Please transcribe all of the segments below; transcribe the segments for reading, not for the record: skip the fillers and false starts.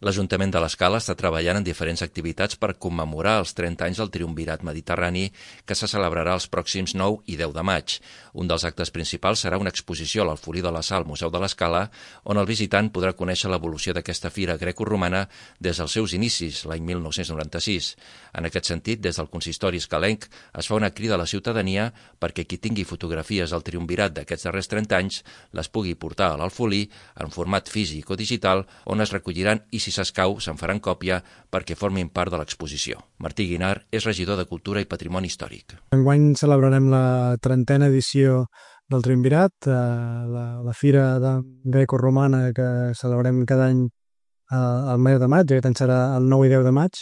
L'Ajuntament de l'Escala està treballant en diferents activitats per commemorar els 30 anys del Triumvirat Mediterrani que se celebrarà els pròxims 9 i 10 de maig. Un dels actes principals serà una exposició a l'Alfolí de la Sal, Museu de l'Escala, on el visitant podrà conèixer l'evolució d'aquesta fira grecoromana des dels seus inicis, l'any 1996. En aquest sentit, des del consistori escalenc es fa una crida a la ciutadania perquè qui tingui fotografies del Triumvirat d'aquests darrers 30 anys les pugui portar a l'Alfolí en format físic o digital, on es recolliran i, si s'escau, se'n faran còpia perquè formin part de l'exposició. Martí Guinar és regidor de Cultura i Patrimoni Històric. Enguany celebrarem la 30a edició del Triumvirat, la fira grecoromana que celebrem cada any al mes de maig, aquest any serà el 9 i 10 de maig,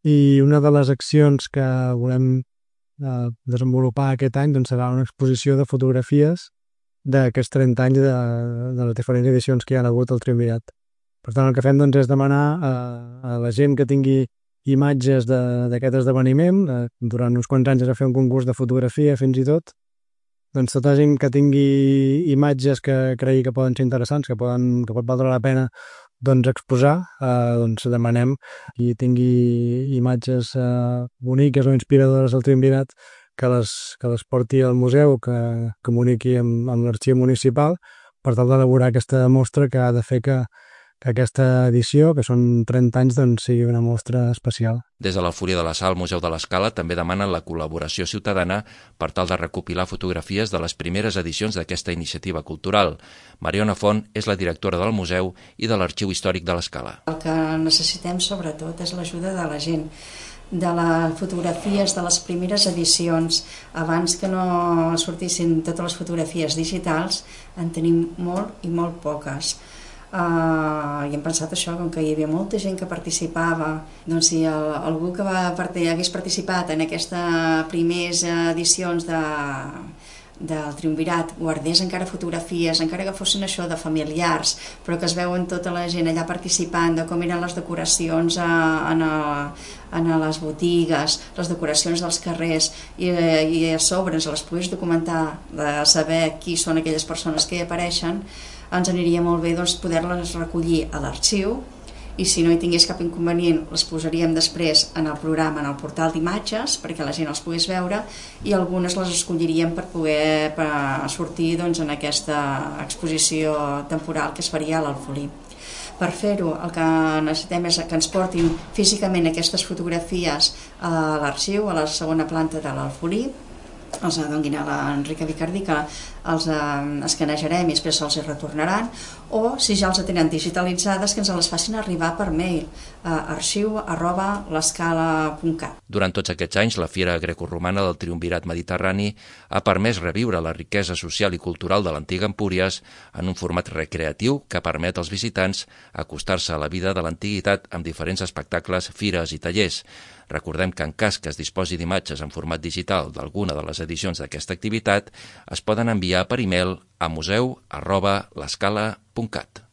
i una de les accions que volem desenvolupar aquest any doncs, serà una exposició de fotografies d'aquests 30 anys de les diferents edicions que hi ha hagut al Triumvirat. Per tant, el que fem doncs, és demanar a la gent que tingui imatges d'aquest esdeveniment. Durant uns quants anys es va fer un concurs de fotografia, fins i tot. Doncs tota la gent que tingui imatges que cregui que poden ser interessants, que pot valdre la pena doncs, exposar, doncs demanem qui tingui imatges boniques o inspiradores del Triumvirat que les porti al museu, que comuniqui amb l'arxiu municipal per tal d'elaborar aquesta mostra que ha de fer que aquesta edició, que són 30 anys, doncs, sigui una mostra especial. Des de l'Alfolí de la Sal, Museu de l'Escala, també demanen la col·laboració ciutadana per tal de recopilar fotografies de les primeres edicions d'aquesta iniciativa cultural. Mariona Font és la directora del museu i de l'Arxiu Històric de l'Escala. El que necessitem, sobretot, és l'ajuda de la gent, de les fotografies de les primeres edicions. Abans que no sortissin totes les fotografies digitals, en tenim molt i molt poques. I hem pensat això, com que hi havia molta gent que participava, doncs si algú que hagués participat en aquestes primeres edicions del Triumvirat guardés encara fotografies, encara que fossin això de familiars, però que es veuen tota la gent allà participant, de com eren les decoracions en les botigues, les decoracions dels carrers, i a sobre ens les pogués documentar, de saber qui són aquelles persones que hi apareixen, ens aniria molt bé doncs, poder-les recollir a l'arxiu, i si no hi tingués cap inconvenient les posaríem després en el programa, en el portal d'imatges, perquè la gent els pogués veure, i algunes les escolliríem per poder sortir doncs, en aquesta exposició temporal que es faria a l'Alfolí. Per fer-ho, el que necessitem és que ens portin físicament aquestes fotografies a l'arxiu, a la segona planta de l'Alfolí, els donguin a l'Enrica Vicardí, que els escanejarem i després se'ls retornaran, o si ja els tenen digitalitzades, que ens les facin arribar per mail a arxiu@l'escala.cat. Durant tots aquests anys, la Fira Grecoromana del Triumvirat Mediterrani ha permès reviure la riquesa social i cultural de l'antiga Empúries en un format recreatiu que permet als visitants acostar-se a la vida de l'antiguitat amb diferents espectacles, fires i tallers. Recordem que en cas que es disposi d'imatges en format digital d'alguna de les edicions d'aquesta activitat, es poden enviar per e-mail a museu@l'escala.cat.